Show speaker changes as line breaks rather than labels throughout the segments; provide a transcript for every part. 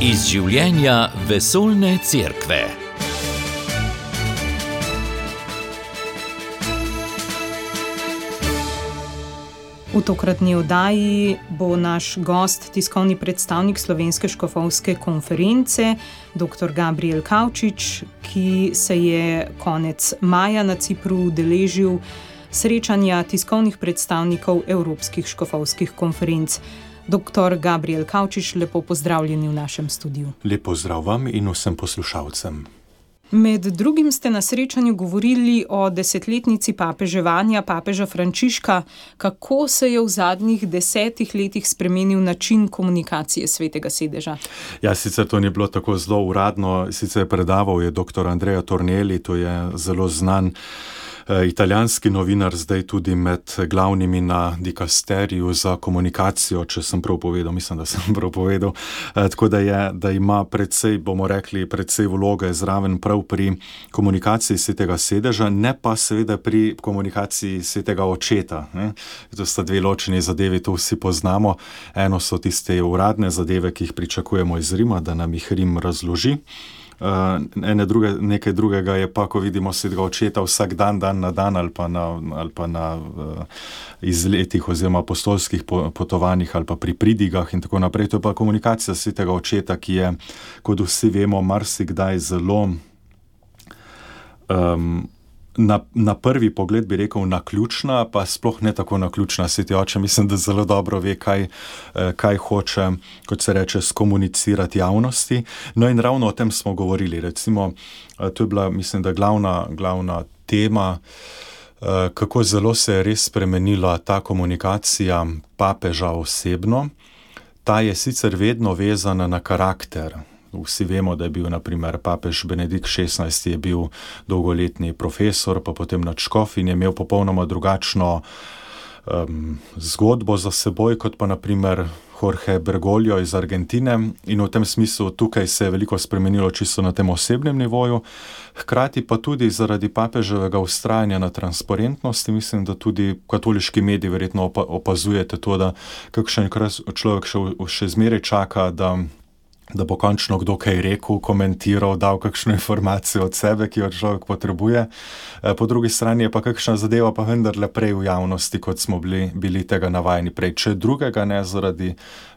Iz življenja vesoljne cerkve.
V tokratni oddaji bo naš gost tiskovni predstavnik Slovenske škofovske konference, dr. Gabriel Kavčič, ki se je konec maja na Cipru udeležil srečanja tiskovnih predstavnikov Evropskih škofovskih konferenc. Dr. Gabriel Kavčič, lepo pozdravljeni v našem studiu.
Lep pozdrav vam in vsem poslušalcem.
Med drugim ste na srečanju govorili o desetletnici papeževanja papeža Frančiška. Kako se je v zadnjih 10 letih spremenil način komunikacije Svetega sedeža?
Ja, sicer to ni bilo tako zelo uradno, sicer predaval je dr. Andrea Tornelli, to je zelo znan italijanski novinar, zdaj tudi med glavnimi na dikasteriju za komunikacijo, če sem prav povedal, mislim, da sem prav povedal. Tako da ima precej, bomo rekli, precej vloge zraven prav pri komunikaciji Svetega sedeža, ne pa seveda pri komunikaciji Svetega očeta. Ne? To sta dve ločeni zadevi, to vsi poznamo. Eno so tiste uradne zadeve, ki jih pričakujemo iz Rima, da nam jih Rim razloži. Nekaj drugega je pa, ko vidimo Svetega očeta vsak dan na dan ali pa na izletih oziroma apostolskih potovanjih ali pa pri pridigah in tako naprej. To je pa komunikacija Svetega očeta, ki je, kot vsi vemo, marsikdaj zelo na prvi pogled bi rekel naključna, pa sploh ne tako naključna. Sveti oče mislim, da zelo dobro ve, kaj hoče, kot se reče, skomunicirati javnosti. No in ravno o tem smo govorili. Recimo, to je bila, mislim, da glavna tema, kako zelo se je res spremenila ta komunikacija papeža osebno. Ta je sicer vedno vezana na karakter. Vsi vemo, da je bil, na primer, papež Benedikt XVI je bil dolgoletni profesor, pa potem nadškof in je imel popolnoma drugačno zgodbo za seboj, kot pa, na primer, Jorge Bergoglio iz Argentine. In v tem smislu tukaj se je veliko spremenilo čisto na tem osebnem nivoju. Hkrati pa tudi zaradi papeževega vztrajanja na transparentnosti, mislim, da tudi katoliški mediji verjetno opazujete to, da kakšen človek še zmeraj čaka, da bo končno kdo kaj rekel, komentiral, dal kakšno informacijo od sebe, ki jo človek potrebuje. Po drugi strani je pa kakšna zadeva pa vendarle prej v javnosti, kot smo bili tega navajeni prej. Če drugega ne zaradi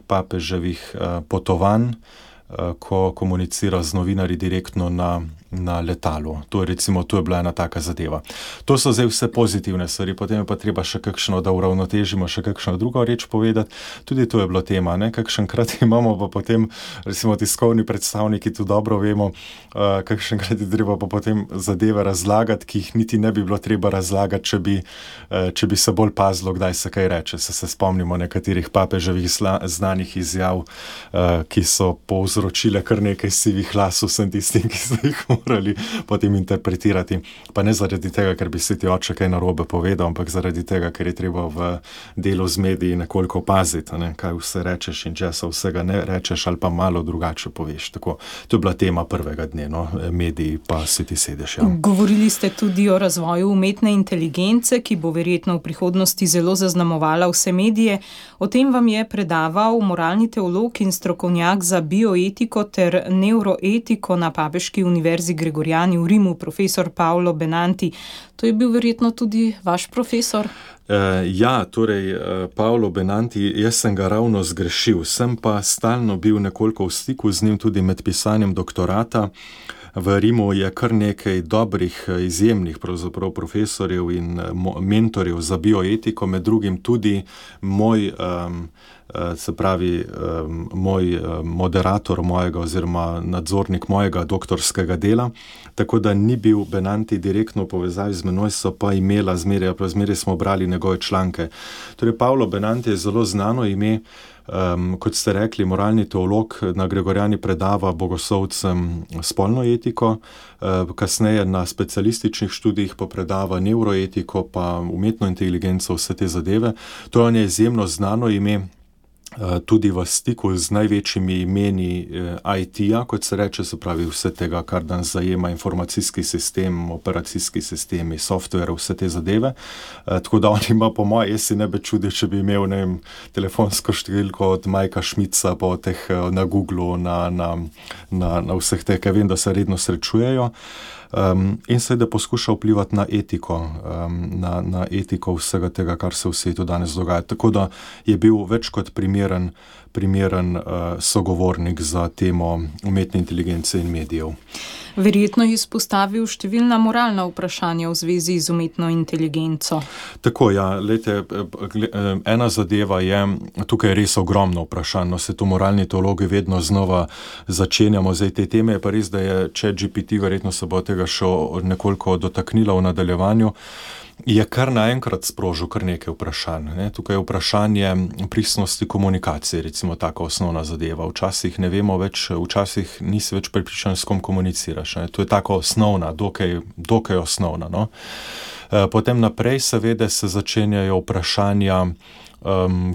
papeževih potovanj, ko komunicira z novinarji direktno na letalu. To je bila ena taka zadeva. To so zdaj vse pozitivne stvari, potem je pa treba še kakšno, da uravnotežimo, še kakšno drugo reč povedati. Tudi to je bila tema, ne? Kakšenkrat imamo pa potem, recimo tiskovni predstavniki, tu dobro vemo, kakšenkrat je treba pa potem zadeve razlagati, ki jih niti ne bi bilo treba razlagati, če bi se bolj pazilo, kdaj se kaj reče. Se spomnimo nekaterih papeževih znanih izjav, ki so povzročile kar nekaj sivih las vsem tistim, ki so jih morali potem interpretirati. Pa ne zaradi tega, ker bi Sveti oče kaj narobe povedal, ampak zaradi tega, ker je treba v delu z mediji nekoliko paziti, ne, kaj vse rečeš in česa vsega ne rečeš ali pa malo drugače poveš. Tako, to je bila tema prvega dne, no, mediji pa Sveti sedež. Ja.
Govorili ste tudi o razvoju umetne inteligence, ki bo verjetno v prihodnosti zelo zaznamovala vse medije. O tem vam je predaval moralni teolog in strokovnjak za bioetiko ter neuroetiko na Papeški univerzi Gregoriani v Rimu, profesor Paolo Benanti. To je bil verjetno tudi vaš profesor?
Ja, torej Paolo Benanti, jaz sem ga ravno zgrešil. Sem pa stalno bil nekoliko v stiku z njim tudi med pisanjem doktorata. V Rimu je kar nekaj dobrih, izjemnih pravzaprav profesorjev in mentorjev za bioetiko, med drugim tudi moj moderator mojega oziroma nadzornik mojega doktorskega dela, tako da ni bil Benanti direktno v povezavi z menoj, so pa imela zmeraj smo brali njegove članke. Torej, Paolo Benanti je zelo znano ime, kot ste rekli, moralni teolog, na Gregoriani predava bogoslovcem spolno etiko, kasneje na specialističnih študijih pa predava neuroetiko, pa umetno inteligenco, vse te zadeve. To je izjemno znano ime. tudi v stiku z največjimi imeni IT-ja, kot se reče, se pravi vse tega, kar danes zajema informacijski sistem, operacijski sistemi, software, vse te zadeve. Tako da on ima po moje, jaz si ne bi čudil, če bi imel, ne vem, telefonsko številko od Majka Šmica po teh na Googlu, na vseh teh, ker vem, da se redno srečujejo. In seveda poskuša vplivati na etiko, na etiko vsega tega, kar se v svetu danes dogaja. Tako da je bil več kot primeren sogovornik za temo umetne inteligence in medijev.
Verjetno je izpostavil številna moralna vprašanja v zvezi z umetno inteligenco.
Tako, ja, ena zadeva je, tukaj je res ogromno vprašanj, se to moralni teologi vedno znova začenjamo, zdaj te teme, je pa res, da je ChatGPT, verjetno se bo tega še nekoliko dotaknila v nadaljevanju, je kar naenkrat sprožil kar nekaj vprašanj. Tukaj je vprašanje pristnosti komunikacije, recimo taka osnovna zadeva. Včasih ne vemo več, včasih nisi več prepričan, s kom komuniciraš. To je tako osnovna, dokaj osnovna. No? Potem naprej seveda se začenjajo vprašanja,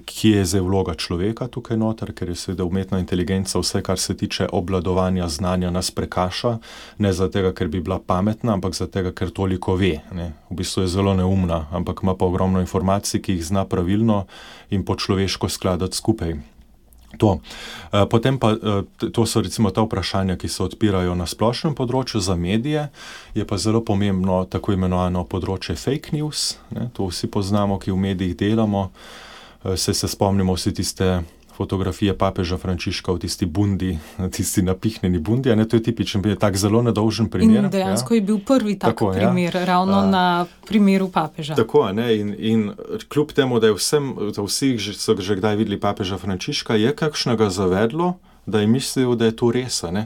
kje je zdaj vloga človeka tukaj noter, ker je seveda umetna inteligenca vse, kar se tiče obvladovanja znanja, nas prekaša, ne zato, ker bi bila pametna, ampak zato, ker toliko ve. Ne. V bistvu je zelo neumna, ampak ima pa ogromno informacij, ki jih zna pravilno in po človeško skladati skupaj. To. Potem pa, to so recimo ta vprašanja, ki se odpirajo na splošnem področju za medije, je pa zelo pomembno tako imenovano področje fake news, ne, to vsi poznamo, ki v medijih delamo, se spomnimo vsi tiste fotografije papeža Frančiška v tisti bundi, tisti napihnjeni bundi, ne, to je tipičen, tak zelo nedolžen primer.
In dejansko je bil prvi tak primer, ravno na primeru papeža.
Tako, ne, in kljub temu, da vsi so že kdaj videli papeža Frančiška, je kakšnega zavedlo, da je mislil, da je to res, ne.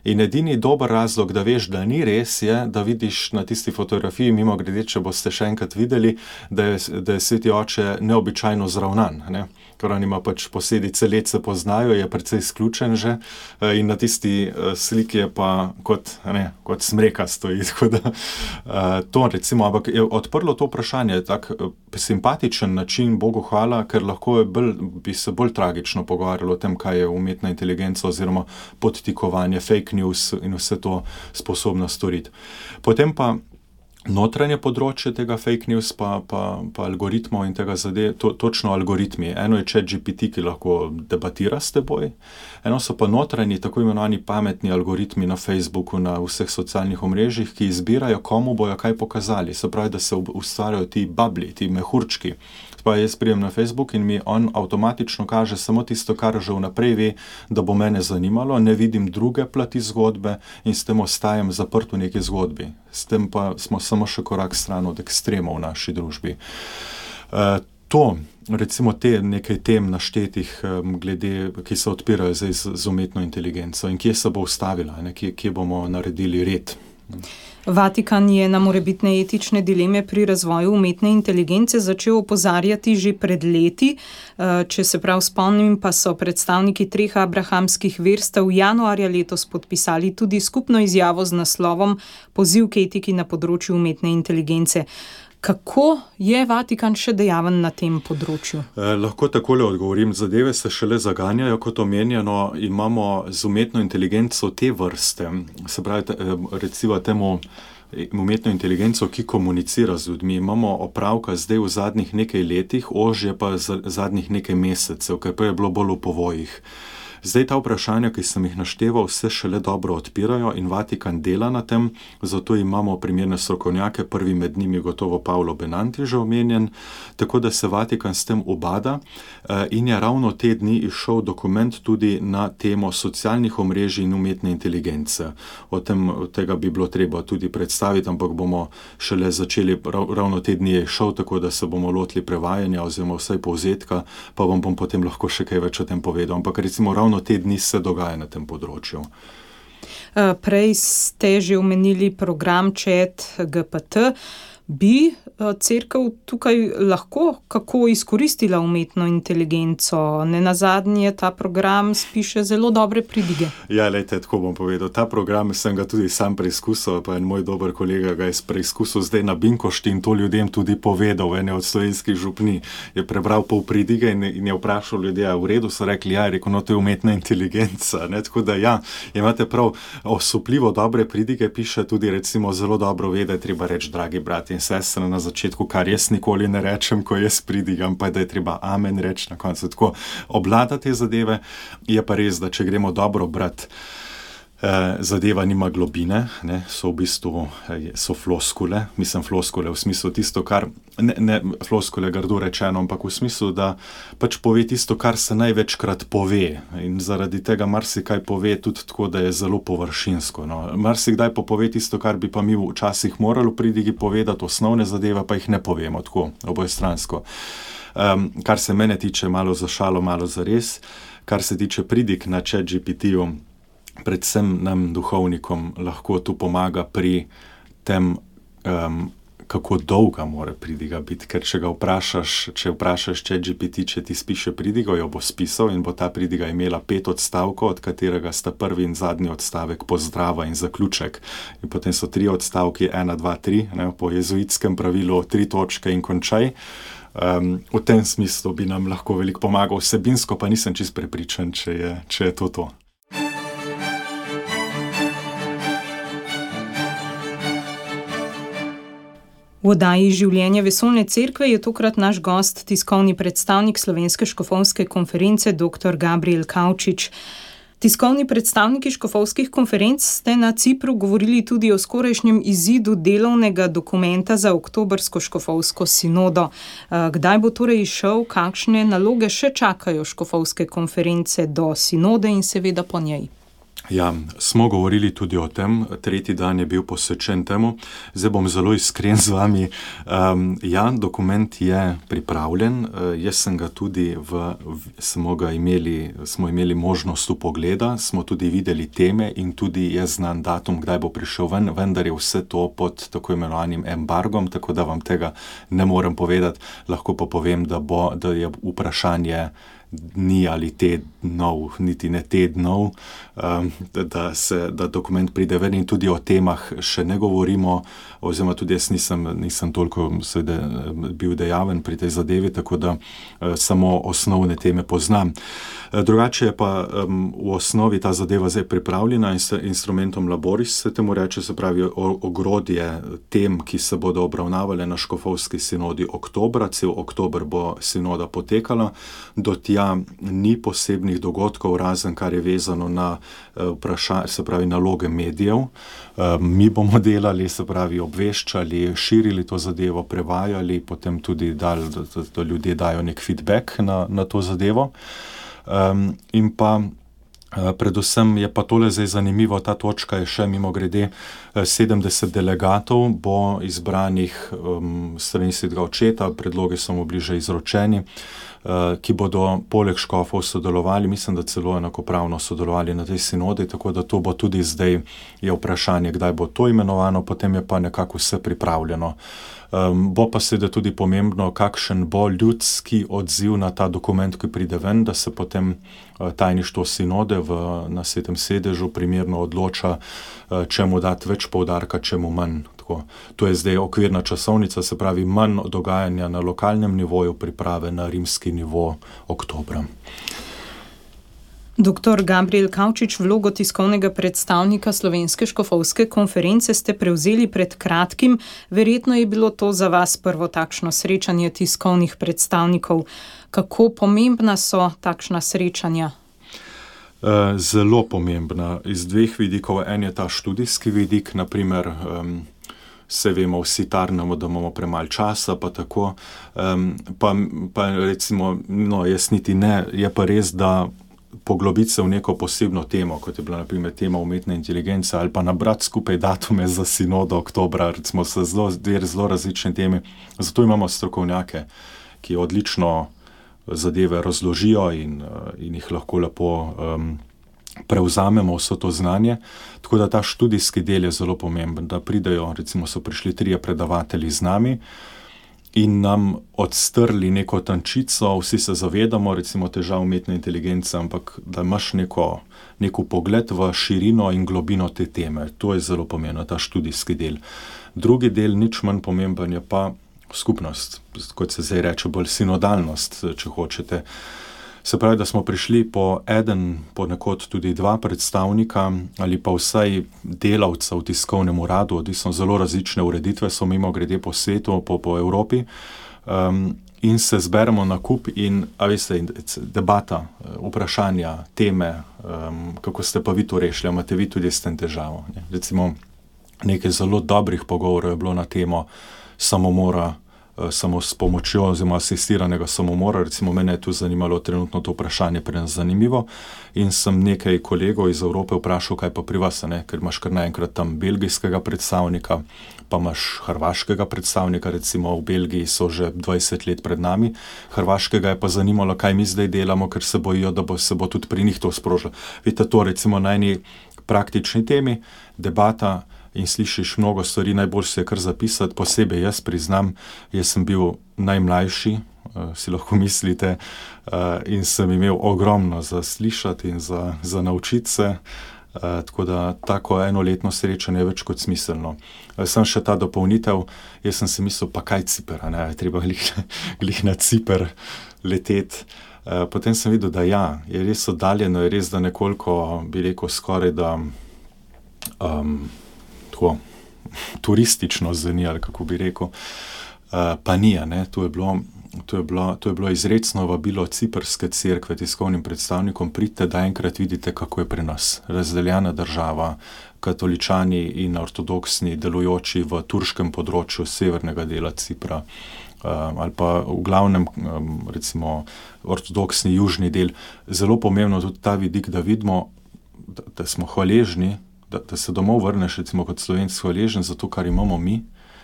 In edini dober razlog, da veš, da ni res, je, da vidiš na tisti fotografiji, mimogrede, če boste še enkrat videli, da je sveti oče neobičajno zravnan, ne. Ker on ima pač posledice let se poznajo, je precej izključen že in na tisti sliki je pa kot smreka stoji, tako da to recimo, ampak je odprlo to vprašanje, tak simpatičen način, Bogu hvala, ker lahko bi se bolj tragično pogovarjalo o tem, kaj je umetna inteligenca oziroma podtikovanje, fake news in vse to sposobna storiti. Potem pa notranje področje tega fake news pa algoritmov in tega točno algoritmi. Eno je ChatGPT, ki lahko debatira s teboj, eno so pa notranji, tako imenovani pametni algoritmi na Facebooku, na vseh socialnih omrežjih, ki izbirajo, komu bojo kaj pokazali. Se pravi, da se ustvarjajo ti babli, ti mehurčki. Pa jaz prijem na Facebook in mi on avtomatično kaže samo tisto, kar že vnaprej ve, da bo mene zanimalo, ne vidim druge plati zgodbe in s tem ostajam zaprt v neki zgodbi. S tem pa smo samo še korak stran od ekstremov v naši družbi. To, recimo te nekaj tem naštetih glede, ki se odpirajo zdaj z umetno inteligenco in kje se bo ustavila, kje bomo naredili red.
Vatikan je na morebitne etične dileme pri razvoju umetne inteligence začel opozarjati že pred leti. Če se prav spomnim, pa so predstavniki 3 abrahamskih verstev januarja letos podpisali tudi skupno izjavo z naslovom Poziv k etiki na področju umetne inteligence. Kako je Vatikan še dejaven na tem področju?
Lahko takole odgovorim. Zadeve se šele zaganjajo, kot omenjeno, imamo z umetno inteligenco te vrste, se pravi, recimo temu umetno inteligenco, ki komunicira z ljudmi. Imamo opravka zdaj v zadnjih nekaj letih, ožje pa zadnjih nekaj mesecev, ker pa je bilo bolj v povojih. Zdaj ta vprašanja, ki sem jih našteval, se šele dobro odpirajo in Vatikan dela na tem, zato imamo primerne strokovnjake, prvi med njimi gotovo Paolo Benanti že omenjen, tako da se Vatikan s tem ubada in je ravno te dni izšel dokument tudi na temo socialnih omrežij in umetne inteligence. Tega bi bilo treba tudi predstaviti, ampak bomo šele začeli, ravno te dni je izšel, tako da se bomo lotili prevajanja oziroma vsaj povzetka, pa vam bom potem lahko še kaj več o tem povedal. Ampak recimo ravno te dni se dogaja na tem področju.
Prej ste že omenili program ChatGPT. Bi cerkev tukaj lahko kako izkoristila umetno inteligenco? Nenazadnje ta program spiše zelo dobre pridige.
Ja, lejte, tako bom povedal. Ta program sem ga tudi sam preizkusil, pa en moj dober kolega ga je preizkusil zdaj na Binkošti in to ljudem tudi povedal. Ene od slovenskih župni je prebral pol pridige in je vprašal ljudi, v redu, so rekli, ja, je rekel, no, to je umetna inteligenca. Ne? Tako da ja, imate prav, osupljivo dobre pridige piše tudi recimo zelo dobro ve, da je treba reči, dragi brat in sestre na začetku, kar jaz nikoli ne rečem, ko jaz pridigam, pa da je treba amen reči na koncu. Tako obvladati te zadeve, je pa res, da če gremo dobro brati, zadeva nima globine, ne, so v bistvu so floskule, mislim floskule v smislu tisto, kar, ne floskule grdo rečeno, ampak v smislu, da pač pove tisto, kar se največkrat pove in zaradi tega marsikaj pove tudi tako, da je zelo površinsko. No. Marsikdaj pove tisto, kar bi pa mi včasih morali v pridigi povedati, osnovne zadeve pa jih ne povemo tako obojestransko. Kar se mene tiče, malo za šalo, malo za res, kar se tiče pridig na ChatGPT-ju, predvsem nam duhovnikom lahko tu pomaga pri tem, kako dolga mora pridiga biti, ker če vprašaš ChatGPT, če ti spiše pridigo, jo bo spisal in bo ta pridiga imela 5 odstavkov, od katerega sta prvi in zadnji odstavek pozdrava in zaključek. In potem so 3 odstavki, 1, 2, 3, ne, po jezuitskem pravilu 3 točke in končaj. V tem smislu bi nam lahko veliko pomagal, vsebinsko pa nisem čisto prepričan, če je to.
V oddaji Življenje vesoljne cerkve je tokrat naš gost, tiskovni predstavnik Slovenske škofovske konference, dr. Gabriel Kavčič. Tiskovni predstavniki škofovskih konferenc ste na Cipru govorili tudi o skorajšnjem izidu delovnega dokumenta za oktobrsko škofovsko sinodo. Kdaj bo torej izšel, kakšne naloge še čakajo škofovske konference do sinode in seveda po njej?
Ja, smo govorili tudi o tem, 3. dan je bil posvečen temu. Zdaj bom zelo iskren z vami. Ja, dokument je pripravljen, jaz sem ga tudi smo imeli možnost vpogleda, smo tudi videli teme in tudi je znan datum, kdaj bo prišel ven, vendar je vse to pod tako imenovanim embargom, tako da vam tega ne morem povedati, lahko pa povem, da je vprašanje dni ali tednov, niti ne tednov, da dokument pride ven in tudi o temah še ne govorimo, oziroma tudi jaz nisem toliko bil dejaven pri tej zadevi, tako da samo osnovne teme poznam. Drugače je pa v osnovi ta zadeva zdaj pripravljena in s instrumentom Laboris se temu reče, se pravi ogrodje tem, ki se bodo obravnavale na škofovski sinodi oktobra, cel oktober bo sinoda potekala, do tja ni posebnih dogodkov, razen kar je vezano na se pravi naloge medijev. Mi bomo delali, se pravi obveščali, širili to zadevo, prevajali, potem tudi dali, da ljudje dajo nek feedback na to zadevo. In pa predvsem je pa tole zdaj zanimivo, ta točka je še mimogrede 70 delegatov bo izbranih strani Svetega očeta, predlogi so mu bili že izročeni, ki bodo poleg škofov sodelovali, mislim, da celo enakopravno sodelovali na tej sinodi, tako da to bo tudi zdaj je vprašanje, kdaj bo to imenovano, potem je pa nekako vse pripravljeno. Bo pa seveda tudi pomembno, kakšen bo ljudski odziv na ta dokument, ki pride ven, da se potem tajništvo sinode na Svetem sedežu primerno odloča, čemu dati več poudarka, čemu manj. Tako. To je zdaj okvirna časovnica, se pravi manj dogajanja na lokalnem nivoju, priprave na rimski nivo oktobra.
Dr. Gabriel Kavčič, vlogo tiskovnega predstavnika Slovenske škofovske konference ste prevzeli pred kratkim. Verjetno je bilo to za vas prvo takšno srečanje tiskovnih predstavnikov. Kako pomembna so takšna srečanja?
Zelo pomembna. Iz 2 vidikov. En je ta študijski vidik, naprimer, se vemo, vsi tarnamo, da imamo premalo časa, pa tako. Pa recimo, jaz niti ne, je pa res, da poglobiti se v neko posebno temo, kot je bila na primer tema umetne inteligence, ali pa nabrati skupaj datume za sinodo oktobra, recimo so zelo različne teme. Zato imamo strokovnjake, ki odlično zadeve razložijo in jih lahko lepo prevzamemo vso to znanje. Tako da ta študijski del je zelo pomemben, da pridejo, recimo so prišli 3 predavatelji z nami in nam odstrli neko tančico, vsi se zavedamo, recimo težav umetne inteligence, ampak da imaš neko pogled v širino in globino te teme. To je zelo pomembno, ta študijski del. Drugi del, nič manj pomemben, je pa skupnost, kot se zdaj reče, bolj sinodalnost, če hočete. Se pravi, da smo prišli ponekod tudi 2 predstavnika ali pa vsaj delavca v tiskovnem uradu, odvisno zelo različne ureditve so mimogrede po svetu, po Evropi, in se zberemo na kup in, debata, vprašanja, teme, kako ste pa vi to rešili, imate vi tudi s tem težavo. Recimo, nekaj zelo dobrih pogovorov je bilo na temo samomora, samo s pomočjo oziroma asistiranega samomora. Recimo mene je tu zanimalo trenutno to vprašanje, pri nas zanimivo, in sem nekaj kolegov iz Evrope vprašal, kaj pa pri vas, ker imaš kar naenkrat tam belgijskega predstavnika, pa imaš hrvaškega predstavnika, recimo v Belgiji so že 20 let pred nami, hrvaškega je pa zanimalo, kaj mi zdaj delamo, ker se bojijo, da se bo tudi pri njih to sprožilo. Vidite, to recimo na eni praktični temi, debata, in slišiš mnogo stvari, najbolj se je kar zapisati, posebej jaz priznam, jaz sem bil najmlajši, si lahko mislite, in sem imel ogromno za slišati in za naučiti se, tako da tako enoletno srečanje je več kot smiselno. Sem še ta dopolnitev, jaz sem si mislil, pa kaj Ciper, treba glih na Ciper leteti. Potem sem videl, da je res oddaljeno, je res, da nekoliko, bi rekel, skoraj da tako turistično zveni, ali kako bi rekel, pa ni, to je bilo izrecno vabilo Ciprske cerkve tiskovnim predstavnikom, pridite, da enkrat vidite, kako je pri nas razdeljena država, katoličani in ortodoksni delujoči v turškem področju severnega dela Cipra, ali pa v glavnem, recimo, ortodoksni južni del. Zelo pomembno tudi ta vidik, da vidimo, da smo hvaležni, da se domov vrneš, recimo kot Slovenc, hvaležen za to, kar imamo mi,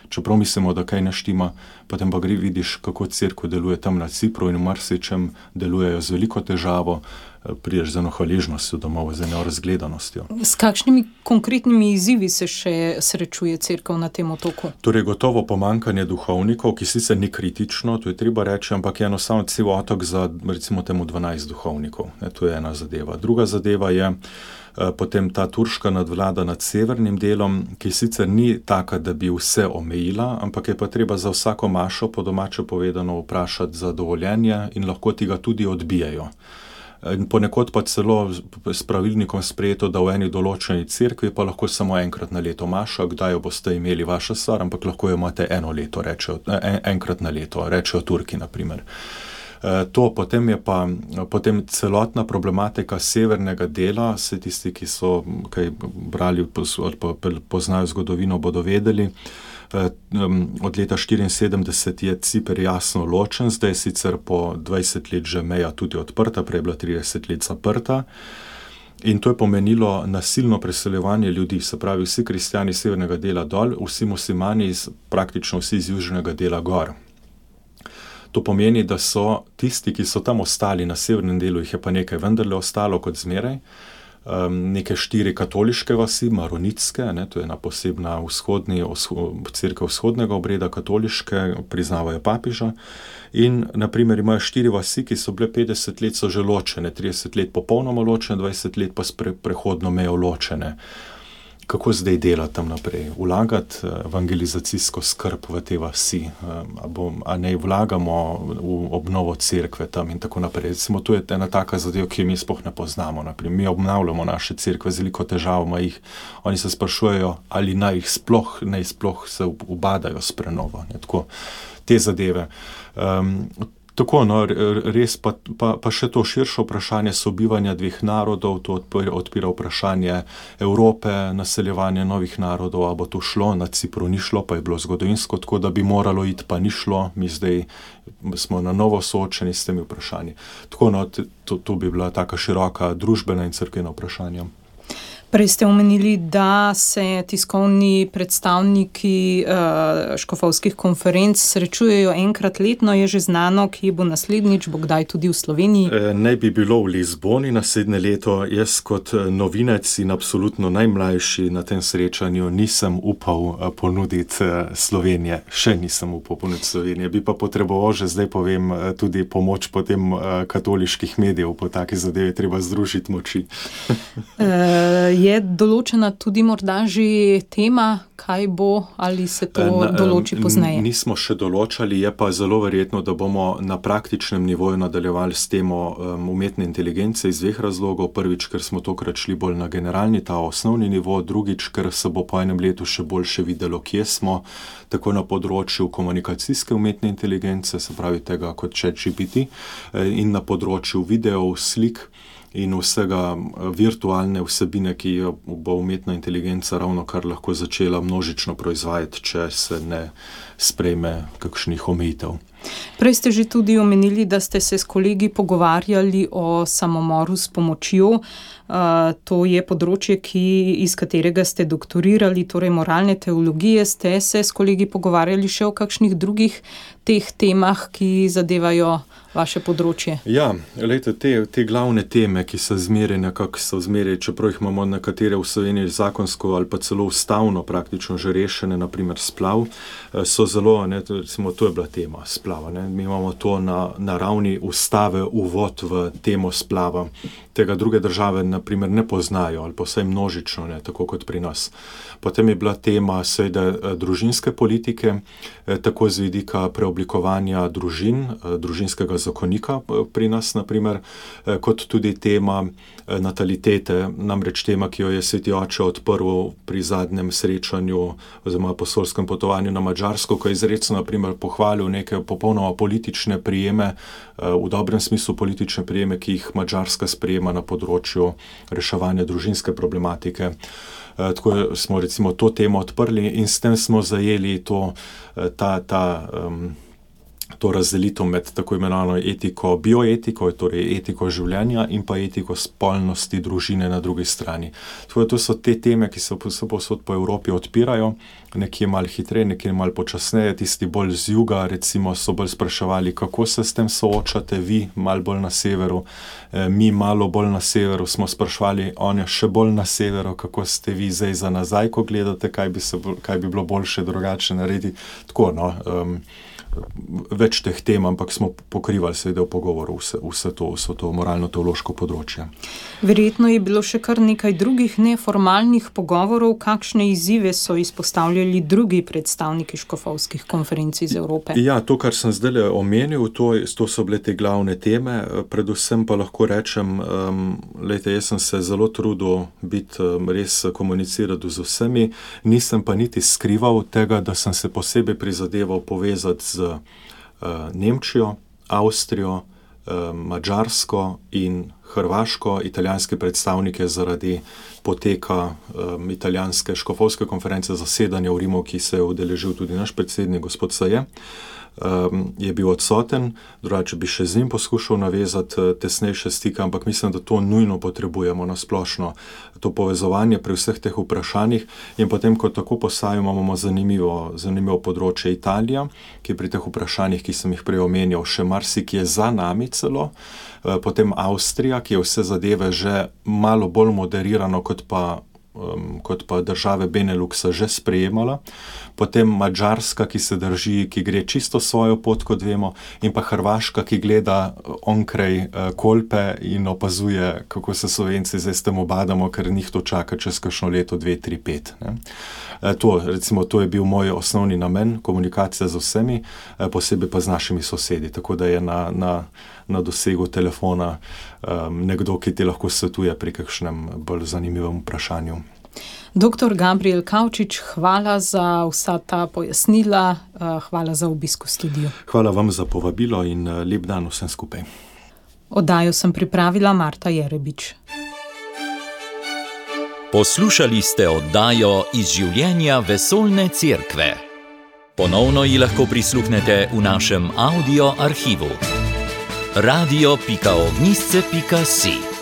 čeprav mislimo, da kaj ne štima, potem pa vidiš, kako cerkev deluje tam na Cipru in v marsičem delujejo z veliko težavo, prideš z eno hvaležnostjo domov, z eno razgledanostjo.
S kakšnimi konkretnimi izzivi se še srečuje cerkev na tem otoku?
Torej, gotovo pomanjkanje duhovnikov, ki sicer ni kritično, to je treba reči, ampak je enostavno cel otok za, recimo temu, 12 duhovnikov. To je ena zadeva. Druga zadeva je potem ta turška nadvlada nad severnim delom, ki sicer ni taka, da bi vse omejila, ampak je pa treba za vsako mašo, po domače povedano, vprašati za dovoljenje in lahko ti ga tudi odbijajo. In ponekod pa celo s pravilnikom sprejeto, da v eni določeni cerkvi pa lahko samo enkrat na leto maša, kdaj jo boste imeli vaša stvar, ampak lahko jo imate enkrat na leto, rečejo Turki, na primer. To potem celotna problematika severnega dela, vse tisti, ki so kaj brali ali pa poznajo zgodovino, bodo vedeli. Od leta 1974 je Ciper jasno ločen, zdaj sicer po 20 let že meja tudi odprta, prej je bila 30 let zaprta. In to je pomenilo nasilno preseljevanje ljudi, se pravi vsi kristjani severnega dela dol, vsi muslimani praktično vsi iz južnega dela gor. To pomeni, da so tisti, ki so tam ostali na severnem delu, jih je pa nekaj vendarle ostalo kot zmeraj, neke 4 katoliške vasi, maronitske, to je ena posebna cerkev vzhodnega obreda, katoliške, priznavajo papeža, in naprimer imajo 4 vasi, ki so bile 50 let so že ločene, 30 let popolnoma ločene, 20 let pa s prehodno mejo ločene. Kako zdaj delati tam naprej? Vlagati evangelizacijsko skrb v te vasi, a ne vlagamo v obnovo cerkve tam in tako naprej. Recimo, to je ena taka zadeva, ki jo mi sploh ne poznamo. Naprimer, mi obnavljamo naše cerkve, z veliko težav ima jih. Oni se sprašujejo, ali naj sploh se ubadajo s prenovo. Tako, te zadeve. Tako, res pa še to širše vprašanje sobivanja 2 narodov, to odpira vprašanje Evrope, naseljevanje novih narodov, a bo to šlo, na Cipru ni šlo, pa je bilo zgodovinsko, tako da bi moralo iti, pa ni šlo, mi zdaj smo na novo soočeni s temi vprašanji. Tako, to bi bila taka široka družbena in cerkvena vprašanja.
Prej ste omenili, da se tiskovni predstavniki škofovskih konferenc srečujejo enkrat letno. Je že znano, kje bo naslednjič, bo kdaj tudi v Sloveniji?
Naj bi bilo v Lizboni naslednje leto. Jaz kot novinec in absolutno najmlajši na tem srečanju nisem upal ponuditi Slovenije. Še nisem upal ponuditi Slovenije. Bi pa potreboval, že zdaj povem, tudi pomoč potem katoliških medijev. Po taki zadevi treba združiti moči.
Je določena tudi morda že tema, kaj bo, ali se to določi pozneje?
Nismo še določali, je pa zelo verjetno, da bomo na praktičnem nivoju nadaljevali s temo umetne inteligence iz dveh razlogov. Prvič, ker smo tokrat šli bolj na generalni, ta osnovni nivo, drugič, ker se bo po enem letu še boljše videlo, kje smo, tako na področju komunikacijske umetne inteligence, se pravi tega kot ChatGPT, in na področju videov, slik in vsega virtualne vsebine, ki jo bo umetna inteligenca ravno kar lahko začela množično proizvajati, če se ne sprejme kakšnih omejitev.
Prej ste že tudi omenili, da ste se s kolegi pogovarjali o samomoru s pomočjo. To je področje, iz katerega ste doktorirali, torej moralne teologije. Ste se s kolegi pogovarjali še o kakšnih drugih teh temah, ki zadevajo vaše področje?
Ja, glejte, te glavne teme, ki so zmeraj, čeprav jih imamo nekatere v Sloveniji zakonsko ali pa celo ustavno praktično že rešene, naprimer splav, so zelo, recimo, to je bila tema splava. Mi imamo to na ravni ustave uvod v temo splava. Tega druge države naprimer ne poznajo, ali pa vsaj množično, tako kot pri nas. Potem je bila tema seveda družinske politike, tako z vidika preoblikovanja družin, družinskega zakonika pri nas, naprimer, kot tudi tema natalitete, namreč tema, ki jo je Sveti oče odprl pri zadnjem srečanju oziroma apostolskem potovanju na Madžarsko, ko je izrecno naprimer pohvalil neke popolnoma politične prijeme, v dobrem smislu politične prijeme, ki jih Madžarska sprejema na področju reševanja družinske problematike. Tako smo recimo to temo odprli in s tem smo zajeli to razdelitev med tako imenovano etiko, bioetiko, torej etiko življenja in pa etiko spolnosti družine na drugi strani. Tako to so te teme, ki se povsod po Evropi odpirajo, nekje malo hitreje, nekje malo počasneje. Tisti bolj z juga recimo so bolj spraševali, kako se s tem soočate vi, malo bolj na severu, mi malo bolj na severu smo spraševali, on je še bolj na severu, kako ste vi zdaj za nazaj, ko gledate, kaj bi bilo boljše drugače narediti. Tako, več teh tem, ampak smo pokrivali seveda v pogovoru vse to moralno-teološko področje.
Verjetno je bilo še kar nekaj drugih neformalnih pogovorov. Kakšne izzive so izpostavljali drugi predstavniki škofovskih konferenc iz Evrope?
Ja, to, kar sem zdaj omenil, to so bile te glavne teme. Predvsem pa lahko rečem, jaz sem se zelo trudil res komunicirati z vsemi, nisem pa niti skrival tega, da sem se posebej prizadeval povezati z Nemčijo, Avstrijo, Madžarsko in Hrvaško, italijanske predstavnike zaradi poteka italijanske škofovske konference zasedanja v Rimu, ki se je udeležil tudi naš predsednik, gospod Saje, je bil odsoten, drugače bi še z njim poskušal navezati tesnejše stike, ampak mislim, da to nujno potrebujemo na splošno, to povezovanje pri vseh teh vprašanjih. In potem, ko tako postavimo, imamo zanimivo področje Italija, ki pri teh vprašanjih, ki sem jih prej omenjal, še marsikje za nami celo, potem Avstrija, ki je vse zadeve že malo bolj moderirano, kot pa države Beneluxa že sprejemala, potem Madžarska, ki se drži, ki gre čisto svojo pot, kot vemo, in pa Hrvaška, ki gleda onkraj Kolpe in opazuje, kako se Slovenci zdaj s tem obadamo, ker njih to čaka čez kakšno leto, 2, 3, 5. To je bil moj osnovni namen, komunikacija z vsemi, posebej pa z našimi sosedi, tako da je na dosegu telefona nekdo, ki ti lahko svetuje pri kakšnem bolj zanimivem vprašanju.
Dr. Gabriel Kavčič, hvala za vsa ta pojasnila, hvala za obisk v studiu.
Hvala vam za povabilo in lep dan vsem skupaj.
Oddajo sem pripravila Marta Jerebič.
Poslušali ste oddajo iz življenja Vesoljne cerkve. Ponovno ji lahko prisluhnete v našem audio arhivu. radio.ognisce.si